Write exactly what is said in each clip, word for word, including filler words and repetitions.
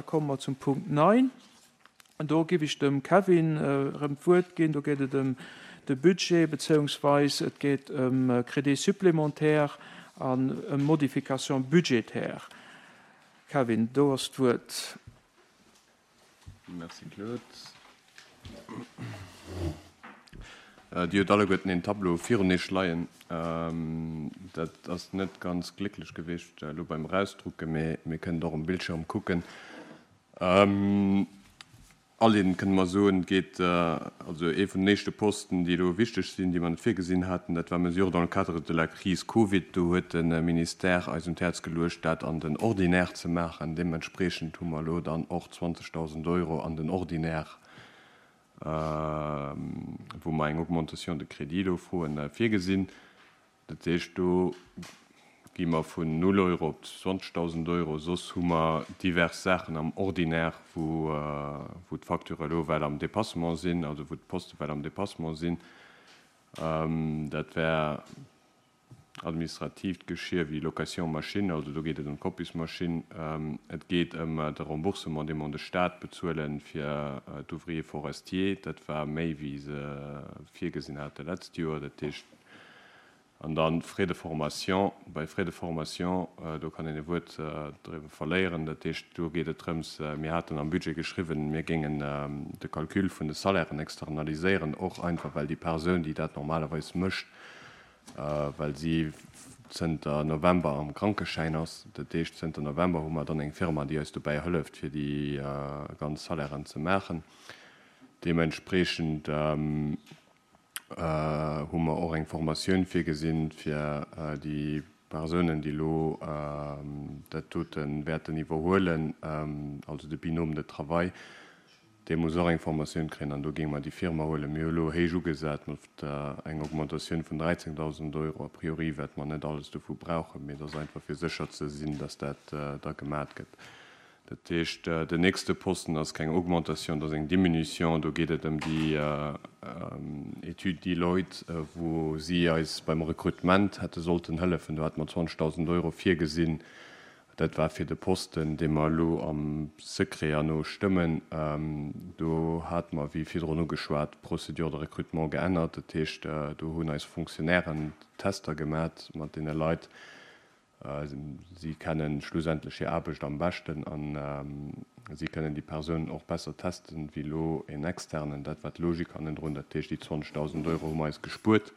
Da komme mer zum Punkt neun. Do géif ech dem Kevin erëm d'Wuert ginn. Do geet et ëm de Budget bezéiungsweis et geet ëm Crédit supplémentaire an ëm Modification budgétaire. Kevin, do ass d'Wuert. Merci Claude. Dir hutt alleguerten een Tableau virun Iech leien. Dat ass net ganz glécklech gewiescht elo beim Erausdrucken, mee mir kënnen et och um Bildschirm kucken. Aleedend kënne mer soen, et geet also ee vun den éischte Posten, déi elo wichteg sinn, déi mer net virgesinn haten, dat war Mesures dans le cadre de la crise Covid. Do huet de Ministère eis un d'Häerz geluecht, dat an den Ordinaire ze maachen. Deementspreechend hu mer elo dann och zwanzegdausend Euro an den Ordinaire, wou mer eng Augmentation de crédit elo froen, virgesinn. Dat heescht, do gi mer vun null Euro op zwanzegdausend Euro. Soss hu mer divers Saachen am Ordinaire, wou wou d'Facture elo well am Dépassement sinn, also wou d'Poste well am Dépassement sinn. Dat wär administratiivt Geschir wéi Location machine, also do geet et ëm d'Kopiesmaschinn. Et geet ëm de Remboursement, dee mer un de Stat bezuele fir d'Ouvriers forestiers. Dat war méi, wéi se virgesinn hate letzt Joer. Dat heescht, an dann Frais de formation. Bei Frais de formation, do kann een e Wuert driwwer verléieren. Dat heescht, do geet et drëms, mir haten am Budget geschriwwen, mir géingen de Calcul vun de Salairen externaliséieren, och einfach well déi Persoun, déi dat normalerweis mécht, well si zënter November am Krankeschäin ass. Dat heescht, zënter November hu mer dann eng Firma, déi eis dobäi hëlleft, fir déi ganz Salairen ze maachen. Deementspreechend hu mer och eng Formatioun virgesinn, fir déi Persounen, déi elo dat dote wäerten iwwerhuelen, also de Binôme de travail, dee muss och eng Formatioun kréien an do géinge mer déi Firma huelen. Mir hu elo héich ugesat mat eng Augmentatioun vun dräizéngdausend Euro. A priori wäerte mer net alles dovu brauchen, mee et ass einfach fir sécher ze sinn, dass dat da gemat gëtt. Dat heescht, den nächste Posten ass keng Augmentation, dat ass eng Diminution. Do geet et ëm déi Étude Deloitte, wou si eis beim Rekrutement hätte sollten hëllefen. Do hate mer zwanzegdausend Euro virgesinn. Dat war fir de Posten, dee mer elo am Secret herno stëmmen. Do hate mer, wéi virdrun ugeschwat, d'Procédure de recrutement geännert. Dat heescht, do hunn eis Fonctionnairen Tester gemat mat deene Leit. Si kennen schlussendlech hir Aarbecht am beschten a si kënnen déi Persoun och besser testen, wéi elo en Externen. Dat war d'Logik hannendrun. Dat heescht, déi zwanzegdausend Euro hu mer eis gespuert.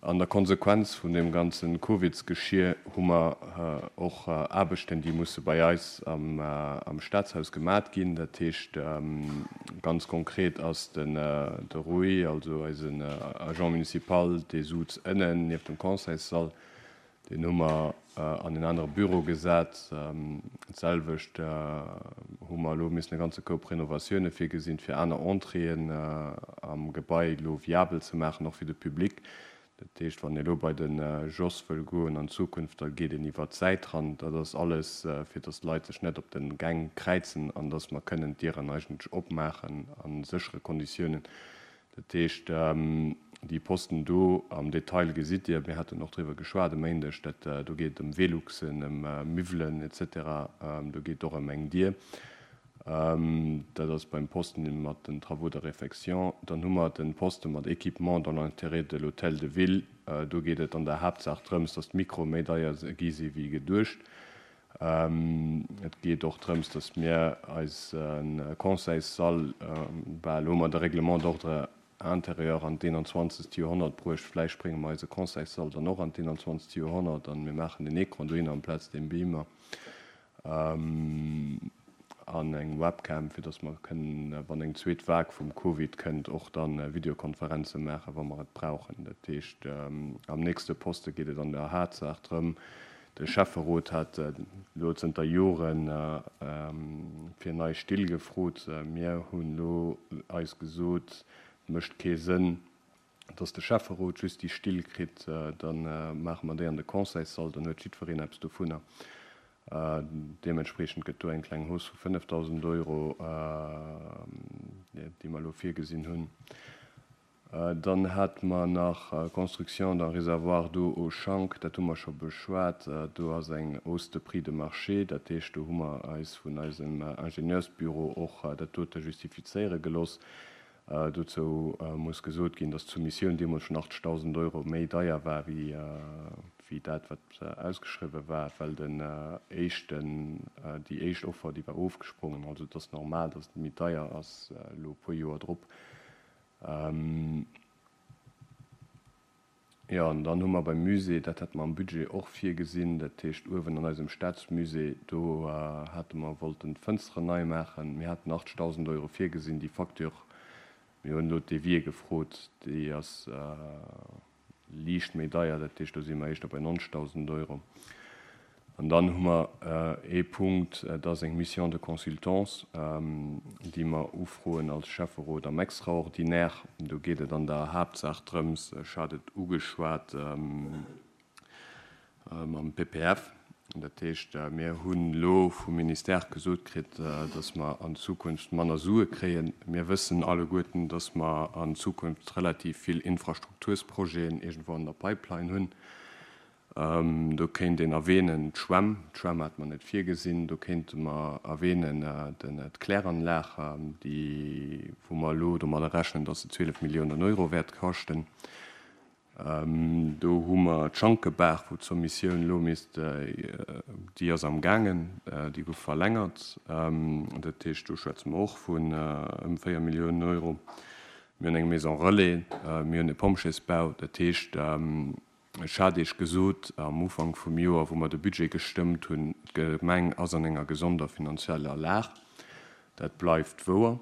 An der Konsequenz vun deem ganze Covidsgeschier hu mer och Aarbechten, déi musse bei eis am Staatshaus gemat ginn. Dat heescht, ganz konkret ass de Rui, also eisen Agent municipal, dee suz ënnen nieft dem Conseilssall, deen hu mer an en anere Büro gesat. D'selwecht hu mer elo missen e ganze Koup Renovatioune virgesinn, fir aner Entréeën am Gebai elo viabel ze maachen, och fir de Public. Dat heescht, wann ee elo bei de Jos wëll goen an Zukunft, da geet een iwwer d'Säit ran. Dat ass alles, fir datt d'Leit sech net op de Gäng kräizen an datt mer kënnen d'Dieren eigentlech opmaachen a séchere Konditiounen. Dat heescht, déi Posten do am Detail gesitt Dir, mir haten och driwwer geschwat e Méindeg, dat do geet et ëm Veluxen, ëm Miwwelen et cetera. Do geet et och ëm eng Dier. Dat ass beim Posten mat den Travaux de réfection. Dann hu mer de Poste mat Équipement dans l'intérêt de l'hôtel de ville. Do geet et an der Haaptsaach drëms, datt d'Mikroe méi deier gi si wéi geduecht. Et geet och drëms, datt mir eise Conseilssall, bal hu mer de Règlement d'ordre intérieur an d'eenanzwanzegt Joerhonnert bruecht, vläicht brénge mer eise Conseilssall dann och an d'eenanzwanzegt Joerhonnert an mir maachen den Écran dohinner amplaz dem Beamer an eng Webcam, fir datt mer kënnen, wann eng zweet Vague vum Covid kënnt, och da Videokonferenze maachen, wa mer et brauchen. Dat heescht, am nächste Poste geet et an der Haaptsaach drëm, de Schäfferot hat elo zënter Jore fir nei Still gefrot. Mir hunn elo eis gesot, et mécht kee Sënn, datt de Schäfferot just déi Still kritt, da maache mer déi an de Conseilssall, dann huet jiddwereen eppes dovunner. Deementspreechend gëtt do eng kleng Hausse vu fënnefdausend Euro, déi mer elo virgesinn hunn. Dann hate mer nach Construction d'un réservoir d'eau au Schank, dat hu mer scho beschwat. Do ass eng Hausse de prix de marché, dat heescht, do hu mer eis vun eisem Ingenieursbüro och dat dote justifizéiere gelooss. Dozou muss gesot ginn, dass d'Soumissioun deemools schonn achtzegdausend Euro méi deier war wéi wéi dat, wat ausgeschriwwe war, well den éischten, déi éischt Offer, déi war ofgesprongen. Also et ass normal, dass et méi deier ass elo e puer Joer drop. Jo, an dann hu mer beim Musée, dat hate mer am Budget och virgesinn, dat heescht uewen an eisem Staatsmusée, do hate mer wollten d'Fënsteren nei maachen. Mir haten achtzegdausend Euro virgesinn. Déi Facture, mir hunn elo d'Devis gefrot, déi ass liicht méi deier, dat heescht do si mer éischter bei neunzegdausend Euro. An dann hu mer ee Punkt, dat ass eng Mission de consultance, déi mer ufroen als Schäfferot am Extraordinaire. Do geet et an der Haaptsaach drëms, ech hat et ugeschwat mam P P F, dat heescht, mir hunn elo vum Ministère gesot kritt, dass mer an Zukunft manner Sue kréien. Mir wëssen alleguerten, dass mer an Zukunft relativ vill Infrastruktursprojeten iergendwou an der Pipeline hunn. Do kéint een erwähnen d'Schwämm, d'Schwämm hat mer net virgesinn. Do kéinte mer erwähnen d'Kläranlag, déi, wou mer elo domadder rechnen, dass se zwielef Milliounen Euro wäert kaschten. Do hu mer d'Schankebaach, wou d'Soumissioun elo misst, déi ass am gaangen, déi gouf verlängert. Dat heescht, do schwätze mer och vun ëm véier Milliounen Euro. Mir hunn eng Maison relais, mir hunn e Pompjeesbau. Dat heescht, ech hat Iech gesot am Ufank vum Joer, wou mer de Budget gestëmmt hunn, d'Gemeng ass an enger gesonder finanzieller Lag. Dat bleift wouer.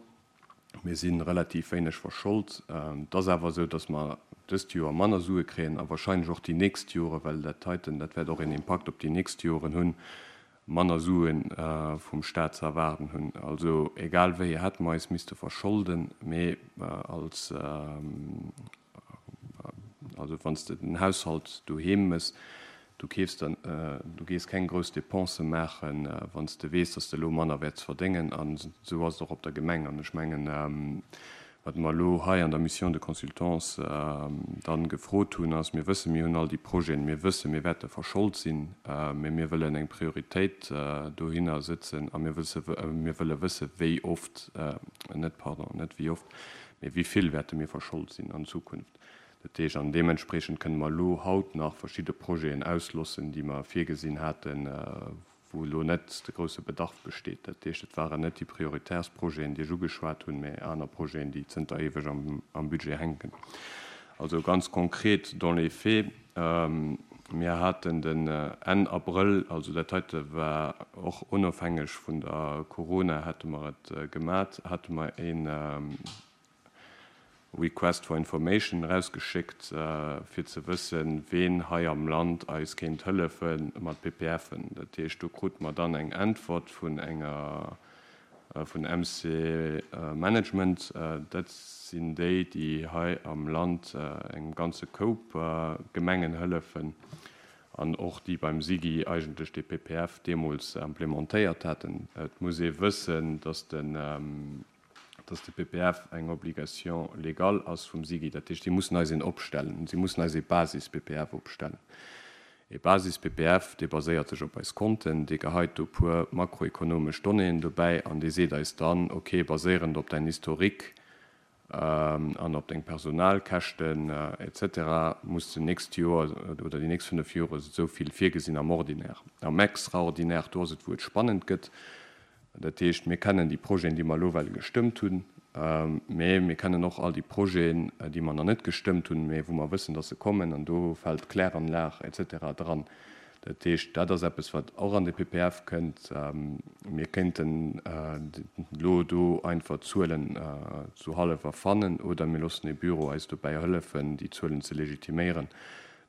Mir si relativ wéineg verschold. Et ass awer esou, datt mer dëst Joer manner Sue kréien a wahrscheinlech och déi nächst Jore, well dat heiten, dat wäert och een Impakt op déi nächst Joren hunn, manner Sue vum Staat ze erwaarden hunn. Also egal wéi, hätte mer eis misste verscholden, mee als, also wann s de den Haushalt doheem mëss, du keefs dann, du gees keng grouss Dépense maachen, wann s de weess, dass de elo manner wäerts verdéngen. An esou ass et och op der Gemeng. An ech mengen, wat mer elo hei an der Mission de consultance dann gefrot hunn, ass, mir wëssen, mir hunn all déi Projeten, mir wëssen, mir wäerte verschold sinn, mee mir wëllen eng Prioritéit dohinner sëtzen a mir wësse, mir wëlle wësse wéi oft, net, pardon, net wéi oft, mee wéi vill wäerte mir verschold sinn an Zukunft. Dat heescht, an deementspreechend kënne mer elo haut nach verschidde Projeten auslossen, déi mer virgesinn haten, wou elo net de grousse Bedarf besteet. Dat heescht, et waren net déi prioritärst Projeten, déi ech ugeschwat hunn, mee aner Projeten, déi zënter éiweg am, am Budget hänken. Also ganz konkret dans les faits, mir haten den Enn Abrëll, also dat heite war och onofhängeg vun der Corona, hate mer et gemat, hate mer een Request for Information rausgeschéckt, fir ze wëssen, ween hei am Land eis kéint hëllefe mat P P F-en. Dat heescht, do krute mer dann eng Äntwert vun enger, vun M C Management. Dat sinn déi, déi hei am Land engem ganze Koup Gemengen hëllefen an och déi beim SIGI eigentlech de P P F deemools implementéiert haten. Et muss ee wëssen, dass den, dass de P P F eng Obligation légale ass vum SIGI. Dat heescht, déi mussen eis een opstellen. Si mussen eis ee Basis-P P F opstellen. E Basis-P P F, dee baséiert sech op eis Konten, dee geheit do puer makroekonomesch Donnéeën dobäi an dee seet eis dann, okay, baséierend op dein Historique, an op deng Personalkäschten, et cetera, muss de nächst Joer oder déi nächst fënnef Jore esou vill virgesinn am Ordinaire. Am Extraordinaire, do ass et, wou et spannend gëtt. Dat heescht, mir kennen déi Projeten, déi mer elo well gestëmmt hunn, mee mir kennen och all déi Projeten, déi mer nach net gestëmmt hunn, mee wou mer wëssen, dass se kommen, an do fält d'Kläranlag et cetera dran. Dat heescht, dat ass eppes, wat och an de P P F kënnt. Mir kéinten elo do einfach Zuelen zu hallef erfannen oder mir loossen e Büro eis dobäi hëllefen, déi Zuelen ze legitiméieren.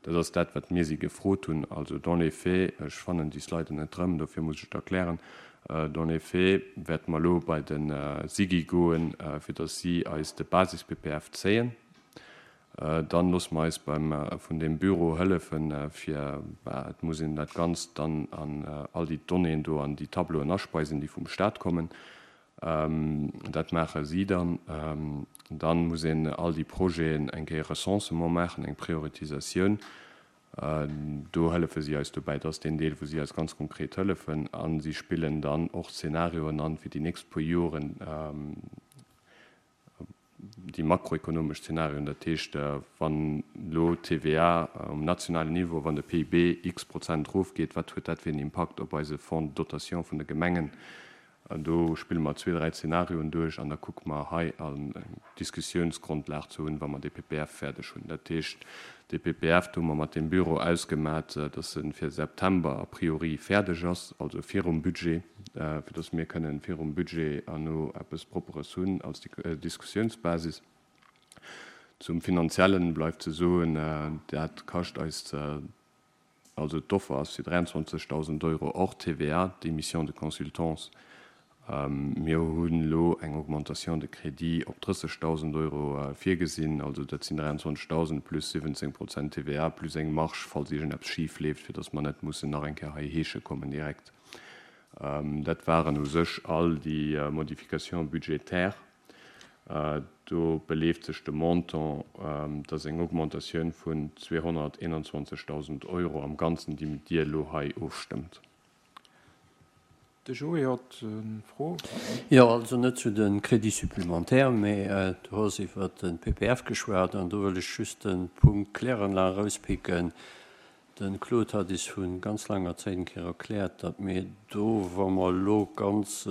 Dat ass dat, wat mir si gefrot hunn. Also dans les faits, ech fannen déi Slide net drëm, dofir muss ech et erklären. Dans les faits wäerte mer elo bei den SIGI goen, fir dass si eis de Basis-P P F zéien. Dann loosse mer eis beim, vun dem Büro hëllefen, fir, bah, et muss een dat Ganzt dann an all déi Donnéeën do an déi Tableauen aspeisen, déi vum Staat kommen. Dat maache si dann. Dann muss een all déi Projeten eng Kéier Recensement maachen, eng Prioritisatioun. Do hëllefe si eis dobäi. Dat ass deen Deel, wou si eis ganz konkret hëllefen. A si spillen dann och Szenarioen an, fir déi nächst puer Joren, déi makroekonomesch Szenarioen. Dat heescht, wann elo d'TVA um nationalen Niveau, wann de P I B x Prozent erofgeet, wat huet dat fir en Impakt op eise Fonds de dotation vun de Gemengen? Do spille mer zwee, dräi Zenarioen duerch an da kucke mer hei eng Diskussiounsgrondlag ze hunn, wa mer dee P P F fäerdeg hunn. Dat heescht, dee P P F, do hu mer mat dem Büro ausgemat, dass e fir September a priori fäerdeg ass, also virum Budget, fir dass mir kënnen virum Budget herno eppes Propperes hunn als Diskussiounsbasis. Zum Finanziellen bleift ze soen, dat kascht eis, also d'Offer ass fir dräianzwanzegdausend Euro hors T V A, déi Mission de consultance. Mir hunn elo eng Augmentation de crédit op drëssegdausend Euro virgesinn, also dat sinn dräianzwanzegdausend plus siwwenzéng Prozent T V A plus eng Marge, falls iergendeppes schif leeft, fir datt mer net mussen nach eng Kéier hei heesche kommen direkt. Dat waren u sech all déi Modifications budgétaires. Do beleeft sech de Montant, dat ass eng Augmentatioun vun zweehonnerteenanzwanzegdausend Euro am Ganzen, déi Dir elo hei ofstëmmt. De Joé huet eng Fro. Jo, also net zu de Crédits supplémentaires, mee du hues iwwer de P P F geschwat an do wëll ech just de Punkt Kläranlag erauspicken. De Claude hat is vu ganz laanger Zäit eng Kéier erkläert, datt mir do, wa mer elo ganz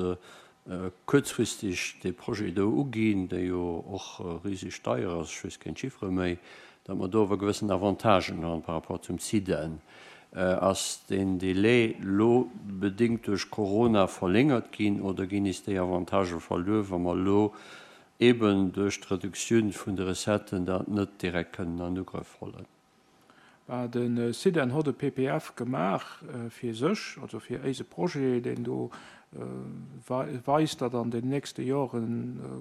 kuerzfristeg dee Projet do uginn, dee jo och riseg deier ass, ech weess keng Chiffere méi, datt mer do awer gewëssen Avantagen hunn par rapport zum SIDEN. Ass deen Delai lo bedéngt duerch Corona verlängert ginn oder ginn is déi Avantagë verluer, wa mer lo eben duerch d'Reduktioun vun de Recetten dat net direkt kënnen an Ugrëff hollen? De SIDEN hott e P P F gemaach fir sech, also fir eise Projet, deen do weist, datt an den nächste Jore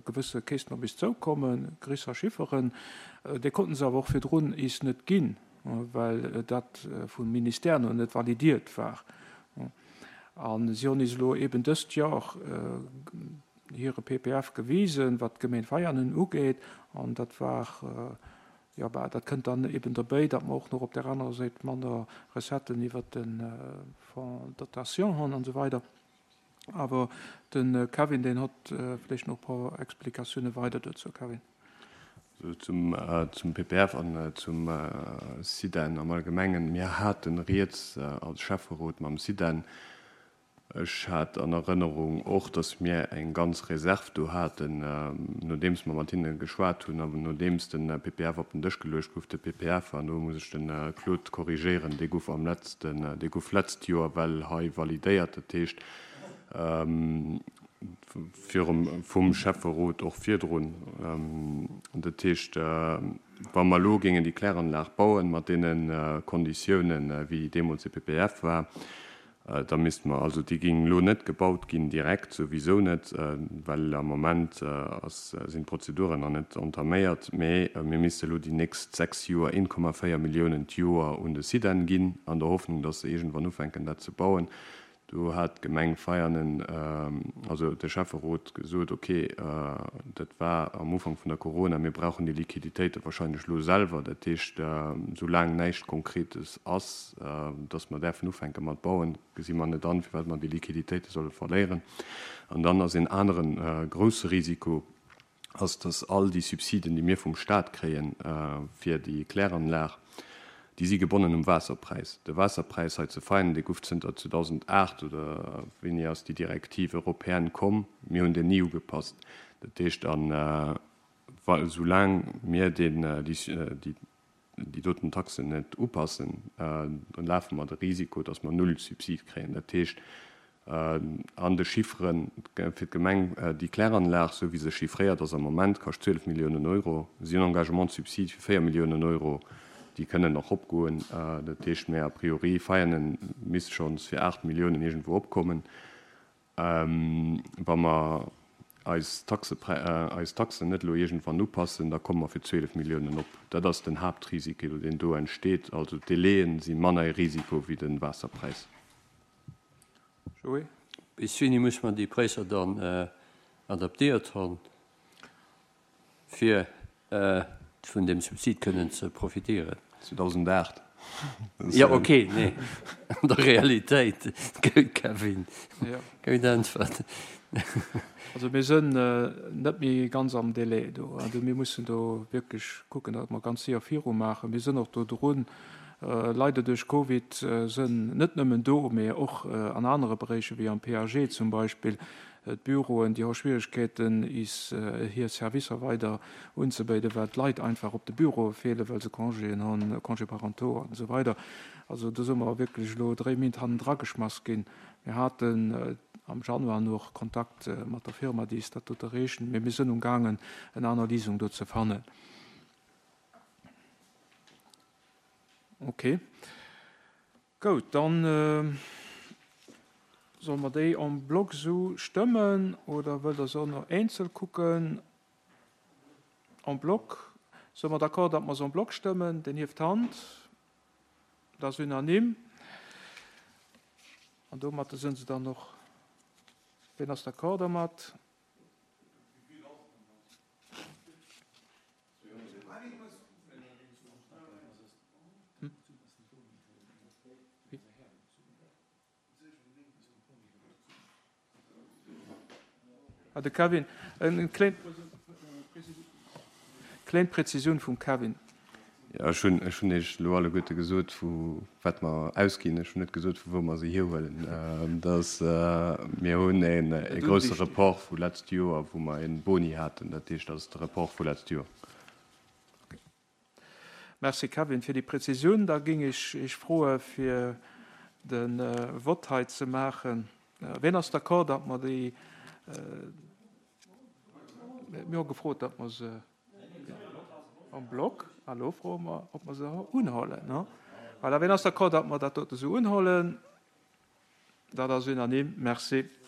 gewësse Käschten op is zoukommen, gréisser Chifferen. Déi konnten se awer och virdrun is net ginn, well dat vum Ministère nach net validiert war. A si hunn is elo eben dëst Joer hire P P F gewisen, wat d'Gemeng Veianen ugeet, an dat war, jo, bah, dat kënnt dann eben derbäi, datt mer och nach op der anerer Säit manner Recetten iwwer de Fonds de dotation hunn an esou weider. Awer de Kevin, deen huet vläicht nach e puer Explikatioune weider dozou. Kevin. Zum, zum P P F an zum SIDEN am Allgemengen. Mir haten rieds als Schäfferot mam SIDEN. Ech hat an Erënnerung och, dass mir eng ganz Reserv do haten, nodeems mer mat hinne geschwat hunn an nodeems de P P F op den Dësch geluecht gouf. De P P F, an do muss ech de Claude korrigéieren, dee gouf am letzten, dee gouf letzt Joer well hei validéiert, dat heescht virum vum Schäfferot och virdrun. Dat heescht, wa mer elo géingen déi Kläranlag bauen mat deene Konditiounen, wéi deemools de P P F war, da misste mer, also déi géing elo net gebaut ginn direkt, souwisou net, well am Moment ass, sinn d'Prozeduren nach net entaméiert, mee mir misste elo déi nächst sechs Joer een Komma véier Milliounen d'Joer un de SIDEN ginn, an der Hoffnung, dass se iergendwann ufänken dat ze bauen. Do hat d'Gemeng Veianen, also de Schäfferot gesot, okay, dat war am Ufank vun der Corona, mir brauchen déi Liquiditéite wahrscheinlech elo selwer, dat heescht, soulaang näischt Konkretes ass, dass mer däerfen ufänke mat bauen, gesi mer net an, firwat mer déi Liquiditéite solle verléieren. An dann ass een anere grousse Risiko, ass, dass all déi Subsiden, déi mir vum Staat kréien fir déi Kläranlag, déi si gebonnen um Waasserpräis. De Waasserpräis hei zu Veianen, dee gouf zënter zweedausendacht oder wéini ass déi Directive européenne komm, mir hunn deen ni ugepasst. Dat heescht, an soulaang mir deen, déi, déi doten Taxen net upassen, dann lafe mer de Risiko, dass mer null Subsid kréien. Dat heescht, an de Chifferen fir d'Gemeng, déi Kläranlag, esou wéi se chiffréiert ass am Moment, kascht zwielef Milliounen Euro. Si hunn Engagement de subside fir véier Milliounen Euro, déi kënnen nach opgoen. Dat heescht, mä a priori Veianen misst schonns fir aacht Milliounen iergendwou opkommen. Wa mer eis Taxe, eis Taxen net elo iergendwann upassen, da komme mer fir zwielef Milliounen op. Dat ass den Haaptrisiko, deen do entsteet. Also d'Délaië si manner e Risiko wéi de Waasserpräis. Joé? Bis wéini muss man déi Präisser dann adaptéiert hunn, fir vun deem Subsid kënnen ze profitéieren. zweedausendacht. Jo, okay, nee, an der Realitéit, Kevin, gutt Äntwert. Also mir sënn net méi ganz am Délai do. Also mir mussen do wierklech kucken, datt mer ganz séier virumaachen. Mir sënn och do drun. Leider duerch Covid sënn net nëmmen do, mee och an anere Beréicher wéi am P A G zum Beispill, d'Büroen, déi hu Schwieregkeeten, is hir Servicer weider unzebéiden, well d'Leit einfach op de Büroe feelen, well se Congéen hunn, Congés parentaux an esou weider. Also do si mer wierklech elo dréi Méint hannendra geschmass ginn. Mir haten am Januar nach Kontakt mat der Firma, déi is dat do erreechen, mee mir sënn umgaangen, en aner Léisung do ze fannen. Ok. Goud, dann solle mer déi en bloc esou stëmmen oder wëllt Der se och nach eenzel kucken? En bloc. Si mer d'accord, datt mer se en bloc stëmmen? Deen hieft d'Hand. Dat ass unanime. An domat sinn se dann och. Wien ass d'accord domat? Ah, de Kevin, eng kléin kléin Präzisioun vum Kevin. Jo, ech hunn, ech hunn Iech elo alleguerte gesot, vu wat mer ausginn. Ech hunn net gesot, vu wou mer se hierhuelen. Dass, mir hunn een e grousse Report vu letzt Joer, wou mer e Boni haten. Dat heescht, dat ass de Report vu letzt Joer. Merci Kevin fir déi Präzisioun. Da géing ech Iech froe fir de Vott hei ze maachen. Wien ass d'accord, datt mer déi, mir hu gefrot, datt mer se en bloc, a lo froe mer, ob mer se unhuelen. Voilà, wien ass d'accord, datt mer dat dote sou unhuelen? Dat ass unanime. Merci.